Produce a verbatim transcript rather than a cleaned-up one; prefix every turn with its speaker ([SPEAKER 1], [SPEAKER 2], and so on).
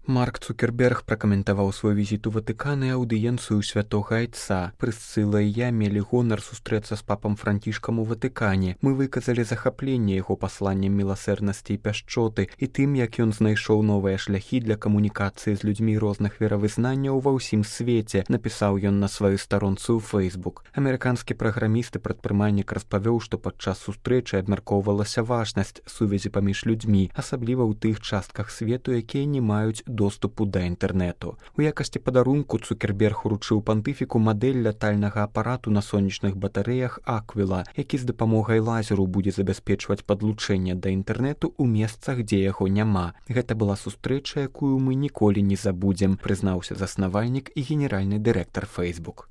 [SPEAKER 1] Марк Цукерберг пракаментаваў свой візіт у Ватыкан і аўдыенцыю святога айца. Прысцыла і я мелі гонар сустрэцца з папам Францішкам у Ватыкане. Мы выказалі захапленне яго пасланнем міласэрнасці і пяшчоты і тым, як ён знайшоў новыя шляхі для камунікацыі з людзьмі розных веравызнанняў ва ўсім свеце, напісаў ён на сваёй старонцы ў Facebook. Амерыканскі праграміст і прадпрымальнік распавёў, што падчас сустрэчы абмяркоўвалася важнасць сувязі паміж людзьмі, асабліва ў тых частках свету, якія не маюць доступу да інтэрнэту. У якасці падарунку Цукерберг уручыў пантыфіку мадэль лятальнага апарату на сонечных батарэях Аквіла, які з дапамогай лазеру будзе забяспечваць падлучэнне да інтэрнэту ў месцах, дзе яго няма. Гэта была сустрэча, якую мы ніколі не забудзем, прызнаўся заснавальнік і генеральны дырэктар Facebook.